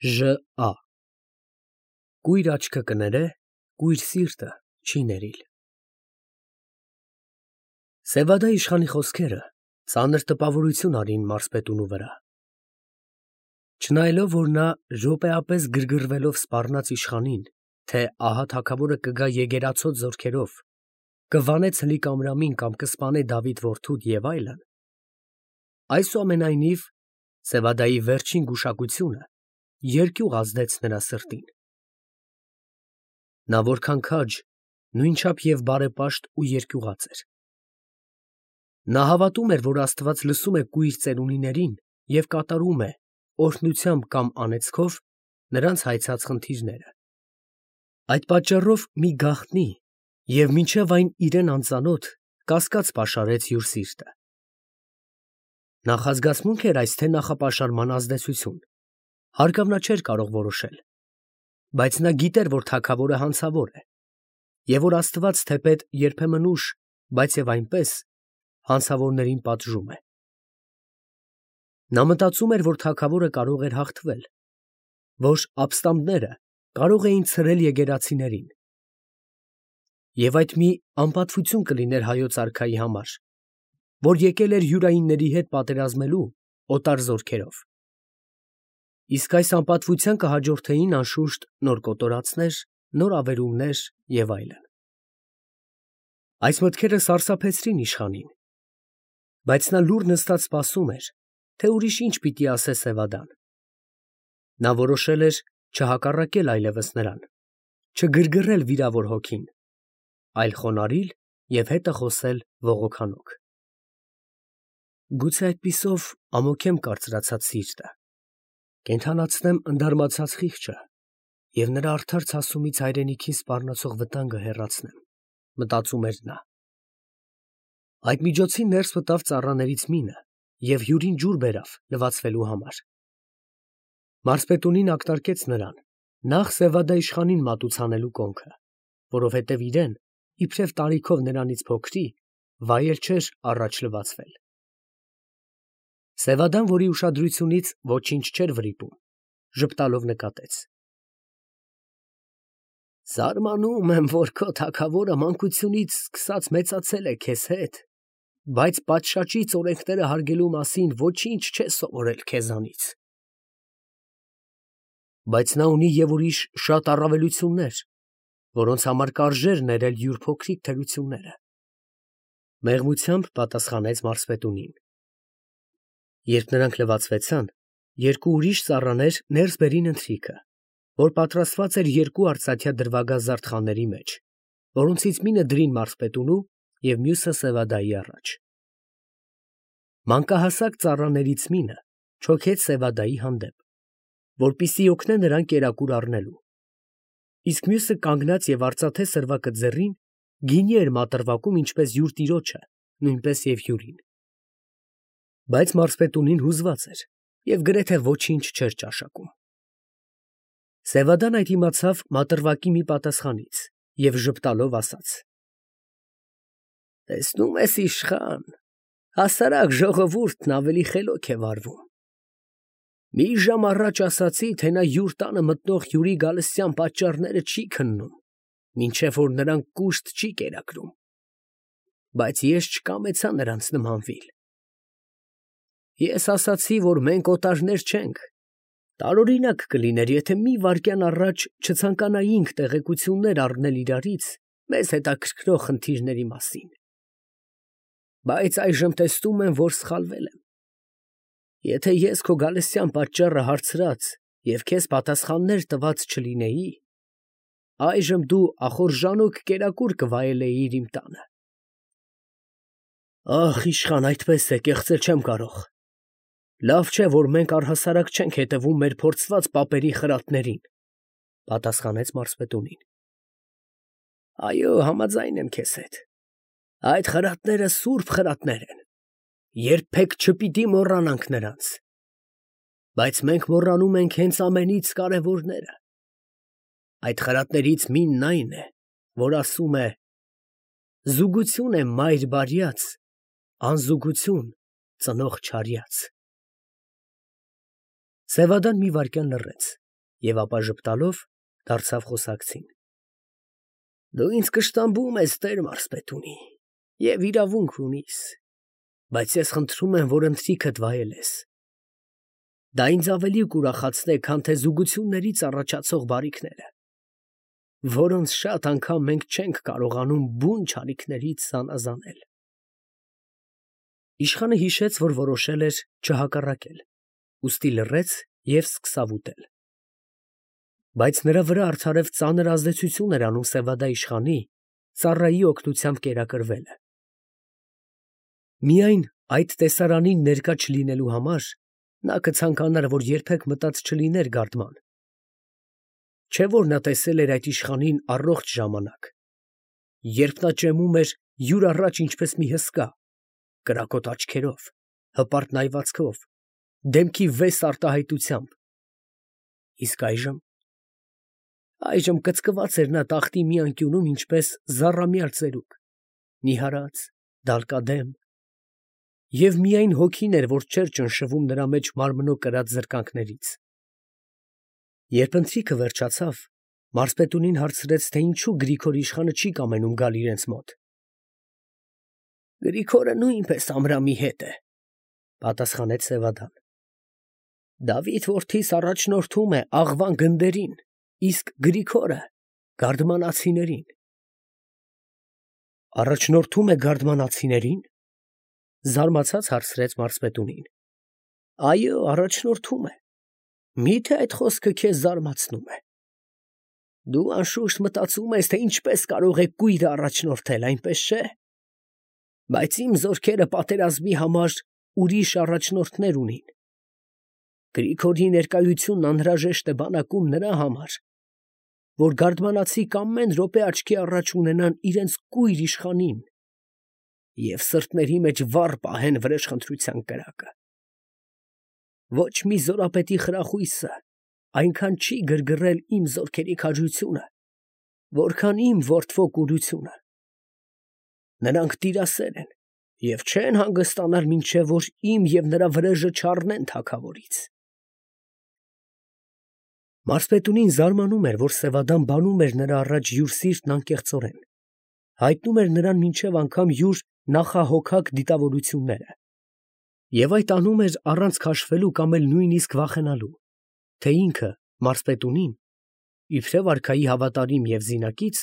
ԺԱ Կույր աչքը կներե, կույր սիրտը չի ներիլ։ Սևադա իշխանի խոսքերը ծանր տպավորություն արին մարզպետունու վրա։ Չնայելով, որ նա րոպեապես գրգռվելով սպառնաց իշխանին, թե ահա թագավորը կգա եկեղեցոտ զորքերով, կվանե Ցլիկ Ամրամին կամ կսպանե Դավիթ որդուդ և այլն, այսուամենայնիվ Սևադայի վերջին գուշակությունը երկյուղ ազդեց նրա սրտին։ Նա որքան քաջ, նույնչափ և բարեպաշտ ու երկյուղած էր։ Նա հավատում էր, որ Աստված լսում է կույր ծերունիներին և կատարում է, օրհնությամբ կամ անեծքով, նրանց հայցած խնդիրները։ Այդ պատճառով մի գաղտնի և մինչև այն իրան անծանոթ կասկած պաշարեց յուր սիրտը։ Նախազգացմունք էր այս, թե նախապաշարման ազդեցություն, հարկավ նա չէր կարող որոշել, բայց նա գիտեր, որ թագավորը հանցավոր է, և որ Աստված թեպետ երբեմն ուշ, բայց և այնպես, հանցավորներին պատժում է։ Նա մտածում էր, որ թագավորը կարող էր հաղթվել, որ ապստամբները կարող էին ցրել եկեղեցիներին, և այդ մի անպատվություն կլիներ հայոց արքայի համար, որ եկել էր յուրայինների հետ պատերազմելու օտար զորքերով, իսկ այս անպատվության կհաջորդեին անշուշտ նոր կոտորածներ, նոր ավերումներ և այլն։ Այս մտքերը սարսափեցրին իշխանին, բայց նա լուռ նստած սպասում էր, թե ուրիշ ինչ պիտի ասե Սևադան։ Նա որոշել էր չհակառակել այլևս նրան, չգրգռել վիրավոր հոգին, այլ խոնարհիլ և հետը խոսել ողոքանոք։ Գուցե այդպիսով ամոթեմ կարծրացած սիրտը, կենդանացնեմ ընդարմացած խիղճը և նրա արդար ցասումից հայրենիքին սպառնացող վտանգը հեռացնեմ, մտածում էր նա։ Այդ միջոցին ներս մտավ ծառաներից մինը և հյուրին ջուր բերավ լվացվելու համար։ Մարզպետունին ակնարկեց նրան նախ Սևադա իշխանին մատուցանելու կոնքը, որովհետև իրեն, իբրև տարիքով նրանից փոքրի, վայել չէր առաջ լվացվել։ Սևադան, որի ուշադրությունից ոչինչ չէր վրիպում, ժպտալով նկատեց. Զարմանում եմ, որ քո թագավորը մանկությունից սկսած մեծացել է քեզ հետ, բայց պատշաճից օրենքները հարգելու մասին ոչինչ չէ սովորել քեզանից։ Բայց նա ունի և ուրիշ շատ առավելություններ, որոնց համար կարժեր ներել յուր փոքրիկ թերությունները, ֊ մեղմությամբ պատասխանեց մարզպետունին։ Երբ նրանք լվացվեցան, երկու ուրիշ ծառաներ ներս բերին ընթրիքը, որ պատրաստված էր երկու արծաթյա դրվագազարդ խաների մեջ, որոնցից մինը դրին մարզպետունու և մյուսը Սևադայի առաջ։ Մանկահասակ ծառաներից մինը չոքեց Սևադայի հանդեպ, որպեսզի օգնե նրան կերակուր առնելու, իսկ մյուսը կանգնած և արծաթե սրվակը ձեռին գինի էր մատրվակում ինչպես յուր տիրոջը, նույնպես և հյուրին։ Բայց մարզպետունին հուզված էր և գրեթե ոչինչ չէր ճաշակում։ Սևադան այդ իմացավ մատրվակի մի պատասխանից և ժպտալով ասաց. Տեսնում ես, իշխան, հասարակ ժողովուրդն ավելի խելոք է վարվում։ Մի ժամ առաջ ասացի, թե նա յուր տանը մտնող հյուրի գալստյան պատճառները չի քննում, մինչև որ նրան կուշտ չի կերակրում, բայց ես չկամեցա նրանց նմանվիլ։ Ես ասացի, որ մենք օտարներ չենք, տարօրինակ կլիներ, եթե մի վայրկյան առաջ չցանկանայինք տեղեկություններ առնել իրարից մեզ հետաքրքրող խնդիրների մասին, բայց այժմ տեսնում եմ, որ սխալվել եմ։ Եթե ես քո գալստյան պատճառը հարցրած և քեզ պատասխաններ տված չլինեի, այժմ դու ախորժանոք կերակուր կվայելեիր իմ տանը։ Ախ, իշխան, այդպես է, կեղծել չեմ կարող։ Լավ չէ, որ մենք առհասարակ չենք հետևում մեր փորձված պապերի խրատներին, ֊ պատասխանեց մարզպետունին։ Այո, համաձայն եմ քեզ հետ, այդ խրատները սուրբ խրատներ են, երբեք չպիտի մոռանանք նրանց, բայց մենք մոռանում ենք հենց ամենից կարևորները։ Այդ խրատներից մինն այն է, որ ասում է. «Զուգություն է մայր բարյաց, անզուգություն ծնող չարյաց»։ Սևադան մի վայրկյան լռեց, Եվ ապա ժպտալով դարձավ խոսակցին. Դու ինձ կշտամբում ես, տեր մարզպետունի, և իրավունք ունիս, բայց ես խնդրում եմ, որ ընթրիքդ վայելես. դա ինձ ավելի կուրախացնե, քան թե զուգություններից առաջացող բարիքները, որոնց շատ անգամ մենք չենք կարողանում բուն չարիքներից զանազանել։ Իշխանը հիշեց, որ որոշել էր չհակառակել, ուստի լռեց և սկսավ ուտել։ Բայց նրա վրա արդարև ծանր ազդեցություն էր անում Սևադա իշխանի ծառայի օգնությամբ կերակրվելը։ Միայն այդ տեսարանին ներկա չլինելու համար նա կցանկանար, որ երբեք մտած չլիներ գարդման։ Չէ՞ որ նա տեսել էր այդ իշխանին առողջ ժամանակ, երբ նա ճեմում էր յուր առաջ ինչպես մի հսկա, կրակոտ աչքերով, հպարտ նայվածքով, դեմքի վես արտահայտությամբ։ Իսկ այժմ կծկված էր նա տախտի մի անկյունում ինչպես զառամյալ ծերուկ, նիհարած, դալկադեմ, և միայն հոգին էր, որ չէր ճնշվում նրա մեջ մարմնո կրած զրկանքներից։ Երբ ընթրիքը վերջացավ, մարզպետունին հարցրեց, թե ինչու Գրիգոր իշխանը չի կամենում գալ իրենց մոտ։ Գրիգորը նույնպես ամրամի հետ է, պատասխանեց Սևադան։ Դավիթ որդիս առաջնորդում է աղվան գնդերին, իսկ Գրիգորը գարդմանացիներին։ Առաջնորդում է գարդմանացիներին, զարմացած հարցրեց մարզպետունին։ Այո, առաջնորդում է։ Մի՞թե այդ խոսքը քեզ զարմացնում է։ Դու անշուշտ մտածում ես, թե ինչպես կարող է կույրը առաջնորդել, այնպես չէ։ Բայց իմ զորքերը պատերազմի համար ուրիշ առաջնորդներ ունին։ Գրիգորի ներկայությունն անհրաժեշտ է բանակում նրա համար, որ գարդմանացիք ամեն րոպե աչքի առաջ ունենան իրենց կույր իշխանին և սրտերի մեջ վառ պահեն վրեժխնդրության կրակը։ Ոչ մի զորապետի խրախույսը այնքան չի գրգռել իմ զորքերի քաջությունը, որքան իմ որդվո կուրությունը։ Նրանք տիրասեր են և չեն հանգստանալ, մինչև որ իմ և նրա վրեժը չառնեն թագավորից։ Մարզպետունին զարմանում էր, որ Սևադան բանում էր նրա առաջ յուր սիրտն անկեղծորեն, հայտնում էր նրան մինչև անգամ յուր նախահոգակ դիտավորությունները, և այդ անում էր առանց քաշվելու կամ էլ նույնիսկ վախենալու, թե ինքը, մարզպետունին, իբրև արքայի հավատարիմ և զինակից,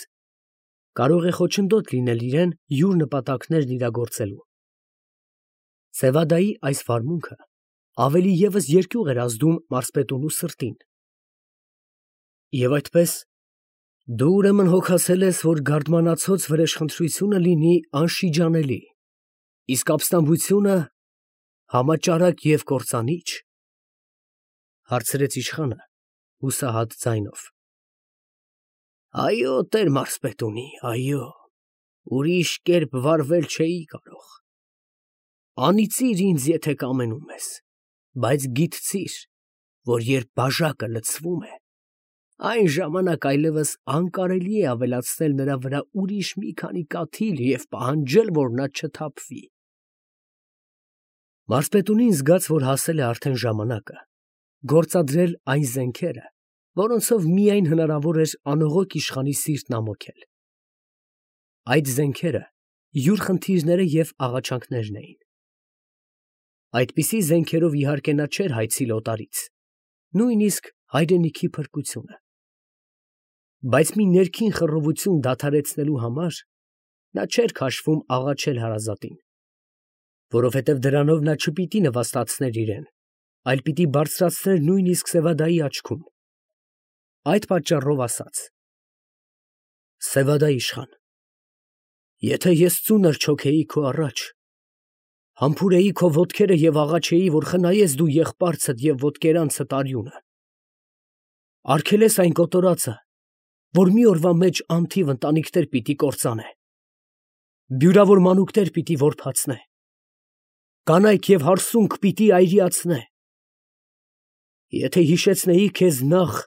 կարող է խոչընդոտ լինել իրեն յուր նպատակներն իրագործելու։ Սևադայի այս վարմունքը ավելի ևս երկյուղ էր ազդում մարզպետունու սրտին։ Եվ այդպես, դու ուրեմն հոգացել ես, որ գարդմանացոց վրեժխնդրությունը լինի անշիջանելի, իսկ ապստամբությունը համաճարակ և կործանիչ, հարցրեց իշխանը հուսահատ ձայնով։ Այո, տեր մարզպետունի, այո, ուրիշ կերպ վարվել չէի կարող։ Անիծիր ինձ, եթե կամենում ես, բայց գիտցիր, որ երբ բաժակը լցվում է, այն ժամանակ այլևս անկարելի է ավելացնել նրա վրա ուրիշ մի քանի կաթիլ և պահանջել, որ նա չթափվի։ Մարզպետունին զգաց, որ հասել է արդեն ժամանակը գործադրել այն զենքերը, որոնցով միայն հնարավոր էր անողոք իշխանի սիրտն ամոթել։ Այդ զենքերը յուր խնդիրները և աղաչանքներն էին։ Այդպիսի զենքերով իհարկե նա չէր հայցիլ օտարից, նույնիսկ հայրենիքի փրկությունը։ Բայց մի ներքին խռովություն դադարեցնելու համար նա չէր քաշվում աղաչել հարազատին, որովհետև դրանով նա չպիտի նվաստացներ իրեն, այլ պիտի բարձրացներ նույնիսկ Սևադայի աչքում։ Այդ պատճառով ասաց. Սևադա իշխան, եթե ես ծունր չոքեի քո առաջ, համբուրեի քո ոտքերը և աղաչեի, որ խնայես դու եղբարցդ և ոտկերանցդ արյունը, արգելես այն կոտորածը, որ մի օրվա մեջ անթիվ ընտանիքներ պիտի կործանե, բյուրավոր մանուկներ պիտի որբացնե, կանայք և հարսունք պիտի այրիացնե, եթե հիշեցնեի քեզ նախ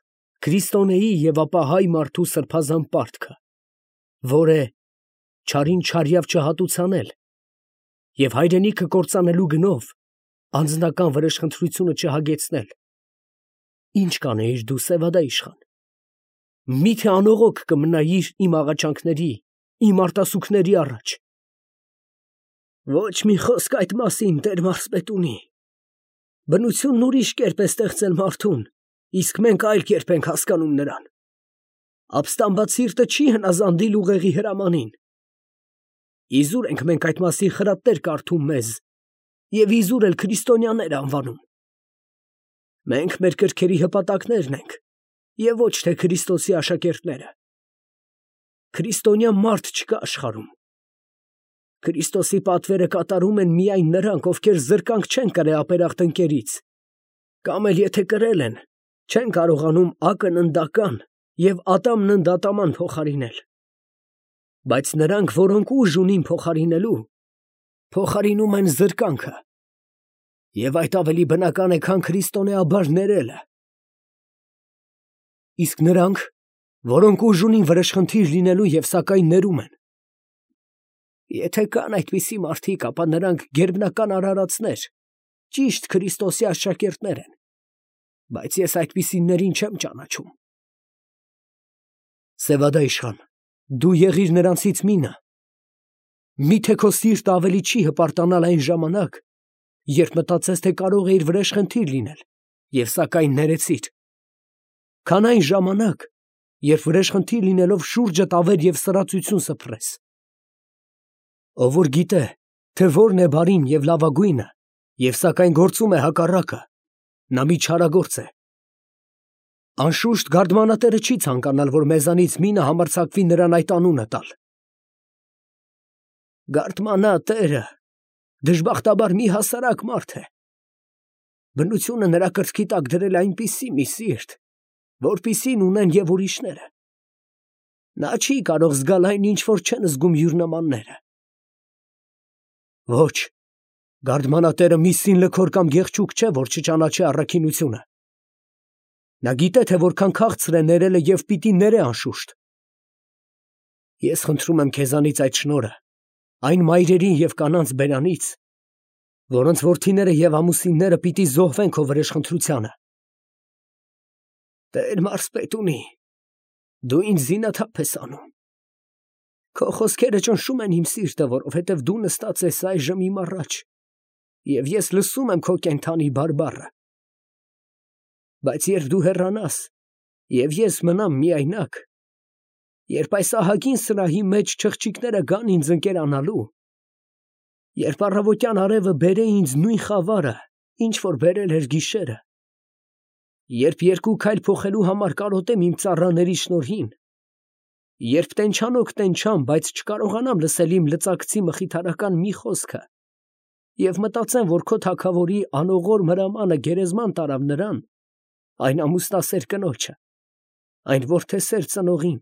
քրիստոնեի և ապա հայ մարդու սրբազան պարտքը, որ է չարին չարյավ չհատուցանել և հայրենիքը կործանելու գնով անձնական վրեժխնդրությունը չհագեցնել, Ինչ կանեիր դու, Սևադա իշխան։ Միթե անողոք կմնայիր իմ աղաչանքների, իմ արտասուքների առաջ։ Ոչ մի խոսք այդ մասին, Տեր մարզպետունի։ Բնությունն ուրիշ կերպ է ստեղծել մարդուն, իսկ մենք այլ կերպ ենք հասկանում նրան։ Ապստամբած սիրտը չի հնազանդիլ ուղեղի հրամանին։ Իզուր ենք մենք այդ մասին խրատներ կարդում մեզ և իզուր էլ քրիստոնյաներ անվանում։ Մենք մեր կրքերի հպատակներն ենք և ոչ թե Քրիստոսի աշակերտները։ Քրիստոնյա մարդ չկա աշխարհում։ Քրիստոսի պատվերը կատարում են միայն նրանք, ովքեր զրկանք չեն կրել ապերախտ ընկերից, կամ էլ եթե կրել են, չեն կարողանում ակն ընդական և ատամն ընդատաման փոխարինել։ Բայց նրանք, որոնք ուժ ունին փոխարինելու, փոխարինում են զրկանքը, և այդ ավելի բնական է, քան քրիստոնեաբար ներելը։ Իսկ նրանք, որոնք ուժ ունին վրեժխնդիր լինելու և սակայն ներում են, եթե կան այդպիսի մարդիկ, ապա նրանք գերբնական արարածներ, ճիշտ Քրիստոսի աշակերտներ են, բայց ես այդպիսիներին չեմ ճանաչում։ Սևադա իշխան, դու եղիր նրանցից մինը։ Միթե քո սիրտը ավելի չի հպարտանալ այն ժամանակ, երբ մտածես, թե կարող էիր վրեժխնդիր լինել և սակայն ներեցիր, քան այն ժամանակ, երբ վրեժխնդիր լինելով շուրջդ ավեր և սրածություն սփռես։ Ով որ գիտե, թե որն է բարին և լավագույնը, և սակայն գործում է հակառակը, նա մի չարագործ է։ Անշուշտ գարդմանատերը չի ցանկանալ, որ մեզանից մինը համարձակվի նրան այդ անունը տալ։ Գարդմանատերը դժբախտաբար մի հասարակ մարդ է։ Բնությունը նրա կրծքի տակ դրել է այնպիսի մի սիրտ, որպիսին ունեն և ուրիշները։ Նա չի կարող զգալ այն, ինչ որ չեն զգում յուր նմանները։ Ոչ, գարդմանատերը մի սինլքոր կամ գեղչուկ չէ, որ չճանաչի առաքինությունը։ Նա գիտե, թե որքան քաղցր է ներելը և պիտի ներե անշուշտ։ Ես խնդրում եմ քեզանից այդ շնորհը, այն մայրերին և կանանց բերանից, որոնց որդիները և ամուսինները պիտի զոհվեն քո վրեժխնդրությանը։ Տեր մարզպետունի, դու ինձ զինաթափ ես անում։ Քո խոսքերը ճնշում են իմ սիրտը, որովհետև դու նստած ես այժմ իմ առաջ, և ես լսում եմ քո կենդանի բարբառը։ Բայց երբ դու հեռանաս, և ես մնամ միայնակ, երբ այս ահագին սրահի մեջ չղջիկները գան ինձ ընկերանալու, երբ առավոտյան արևը բերե ինձ նույն խավարը, ինչ որ բերել էր գիշերը, երբ երկու քայլ փոխելու համար կարոտեմ իմ ծառաների շնորհին, երբ տենչանոք տենչամ, բայց չկարողանամ լսել իմ լծակցի մխիթարական մի խոսքը և մտածեմ, որ քո թագավորի անողոր հրամանը գերեզման տարավ նրան, այն ամուսնասեր կնոջը, այն որդեսեր ծնողին,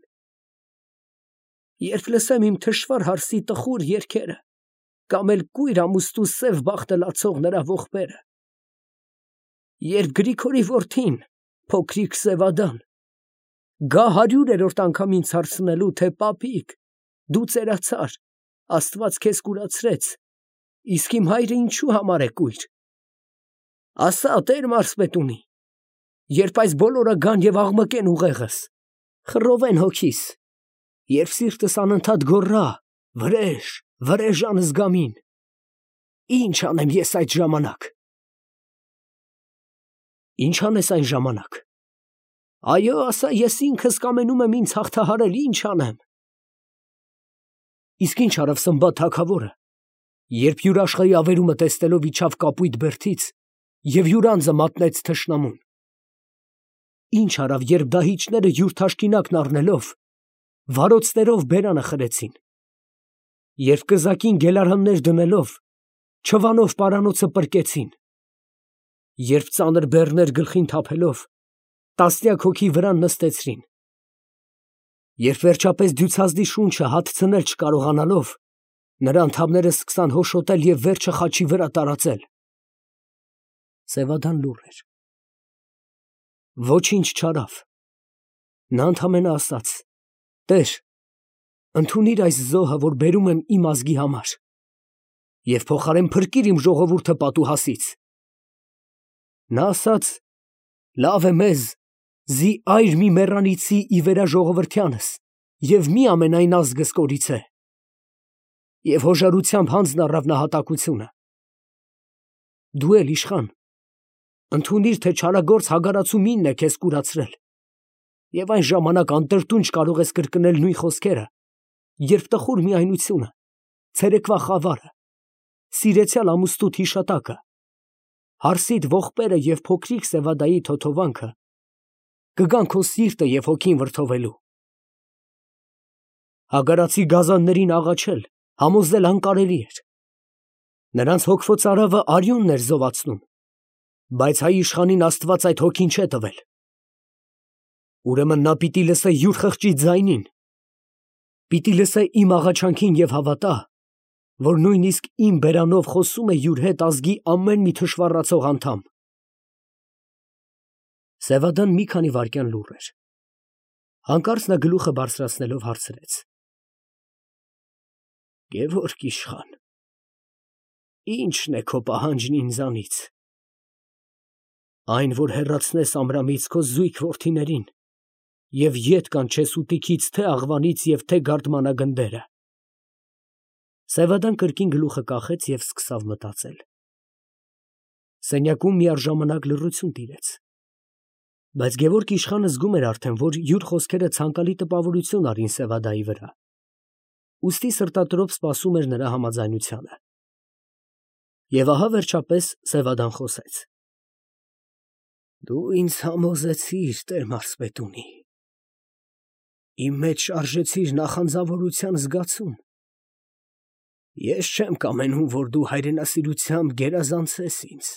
երբ լսեմ իմ թշվառ հարսի տխուր երգերը կամ էլ կույր ամուստու սև բախտը լացող նրա ողբերը, երբ Գրիգորի որդին, փոքրիկ Սևադան, գա 100-րդ անգամ ինձ հարցնելու, թե պապիկ, դու ծերացար, Աստված քեզ կուրացրեց, իսկ իմ հայրը ինչու համար է կույր։ Ասա, Տեր մարզպետունի, երբ այս բոլորը գան և աղմկեն ուղեղս, խռովեն հոգիս, երբ սիրտս անընդհատ գոռա. վրեժ, վրեժ անզգամին, ի՞նչ անեմ ես այդ ժամանակ։ Ինչ անես այն ժամանակ։ Այո, ասա, ես ինքս կամենում եմ ինձ հաղթահարել, ինչ անեմ։ Իսկ ինչ արավ Սմբատ թագավորը, երբ յուր աշխարհի ավերումը տեսնելով իջավ կապույտ բերդից և յուր անձը մատնեց թշնամուն։ Ինչ արավ, երբ դահիճները յուր թաշկինակն առնելով, վարոցներով բերանը խրեցին, երբ կզակին գելարաններ դնելով, չվանով պարանոցը պրկեցին, երբ ծանր բեռներ գլխին թափելով, տասնյակ հոգի վրան նստեցրին, երբ վերջապես դյուցազդի շունչը հատցնել չկարողանալով, նրա անդամները սկսան հոշոտել և վերջը խաչի վրա տարածել։ Սևադան լուռ էր։ Ոչինչ չարավ։ Նա ընդամենը ասաց. Տեր, ընդունիր այս զոհը, որ բերում եմ իմ ազգի համար, և փոխարեն փրկիր իմ ժողովուրդը պատուհասից։ Նա ասաց, լավ է մեզ, զի այր մի մեռանիցի ի վերա ժողովրդյանս, և մի ամենայն ազգս կորիցե։ Եվ հոժարությամբ հանձն առավ նահատակությունը։ Դու էլ իշխան, ընդունիր, թե չարագործ հագարացումինն է քեզ կուրացրել, և այն ժամանակ անտրտունջ կարող ես կրկնել նույն խոսքերը, երբ տխուր միայնությունը, ցերեկվա խավարը, սիրեցյալ ամուսնուդ հիշատակը, հարսիդ ողբերը և փոքրիկ Սևադայի թոթովանքը կգան քո սիրտը և հոգին վրդովելու։ Հագարացի գազաններին աղաչել, համոզել անկարելի էր։ Նրանց հոգվոց արավը արյունն էր զովացնում, բայց հայ իշխանին Աստված այդ հոգին չէ տվել։ Ուրեմն նա պիտի լսե յուր խղճի ձայնին, պիտի լսե իմ աղաչանքին և հավատա, որ նույնիսկ իմ բերանով խոսում է յուր հետ ազգի ամեն մի թշվառացող անդամ։ Սևադան մի քանի վայրկյան լուռ էր։ Հանկարծ նա գլուխը բարձրացնելով հարցրեց. Գևորգ իշխան, ի՞նչն է քո պահանջն ինձանից։ Այն, որ հեռացնես Ամրամից քո զույգ որդիներին և ետ կանչես ուտիքից թե աղվանից և թե գարդմանագնդերը։ Սևադան կրկին գլուխը կախեց և սկսավ մտածել։ Սենյակում միառժամանակ լռություն տիրեց։ Բայց Գևորգ իշխանը զգում էր արդեն, որ յուր խոսքերը ցանկալի տպավորություն արին Սևադայի վրա, ուստի սրտատրոփ սպասում էր նրա համաձայնությանը։ Եվ ահա վերջապես Սևադան խոսեց. Դու ինձ համոզեցիր, տեր մարզպետունի, իմ մեջ շարժեցիր նախանձավորության զգացում։ Ես չեմ կամենում, որ դու հայրենասիրությամբ գերազանցես ինձ։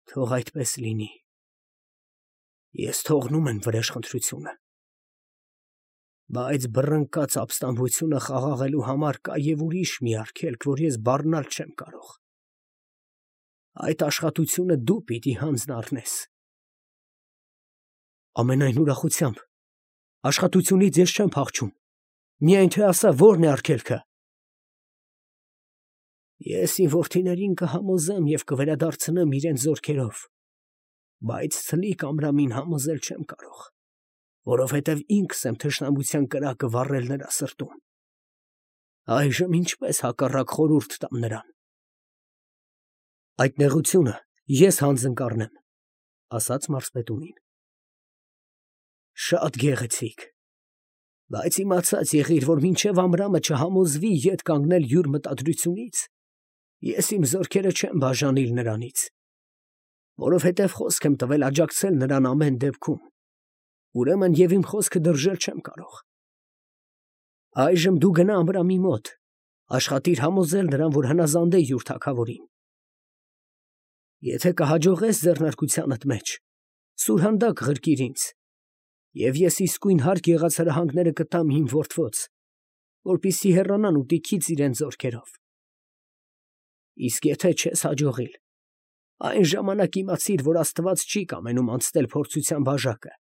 Թող այդպես լինի։ Ես թողնում եմ վրեժխնդրությունը։ Բայց բռնկած ապստամբությունը խաղաղելու համար կա և ուրիշ մի արգելք, որ ես բառնալ չեմ կարող։ Այդ աշխատությունը դու պիտի հանձն առնես։ Ամենայն ուրախությամբ, աշխատությունից ես չեմ փախչում, միայն թե ասա, ո՞րն է արգելքը։ Ես իմ որդիներին կհամոզեմ և կվերադարձնեմ իրենց զորքերով, բայց ցլիկ Ամրամին համոզել չեմ կարող, որովհետև ինքս եմ թշնամության կրակը վառել նրա սրտում։ Այժմ ինչպես հակառակ խորհուրդ տամ նրան։ Այդ նեղությունը ես հանձն կառնեմ, ասաց մարզպետունին։ Շատ գեղեցիկ, բայց իմացած եղիր, որ մինչև Ամրամը չհամոզվի ետ կանգնել յուր մտադրությունից, ես իմ զորքերը չեմ բաժանիլ նրանից, որովհետև խոսք եմ տվել աջակցել նրան ամեն դեպքում, ուրեմն և իմ խոսքը դրժել չեմ կարող։ Այժմ դու գնա Ամրամի մոտ, աշխատիր համոզել նրան, որ հնազանդ է յուր թագավորին։ Եթե կհաջողես ձեռնարկությանդ մեջ, սուրհանդակ ղրկիր ինձ, և ես իսկույն հարկ եղած հրահանգները կտամ իմ որդոց, որպեսզի հեռանան ուտիքից իրենց զորքերով։ Իսկ եթե չես հաջողիլ, այն ժամանակ իմացիր, որ Աստված չի կամենում անցնել փորձության բաժակը,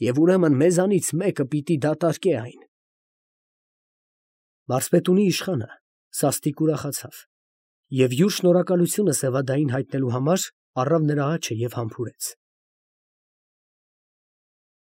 և ուրեմն մեզանից մեկը պիտի դատարկե այն։ Մարզպետունի իշխանը սաստիկ ուրախացավ և յուր շնորհակալությունը Սևադային հայտնելու համար առավ նրա աջը և համբուրեց։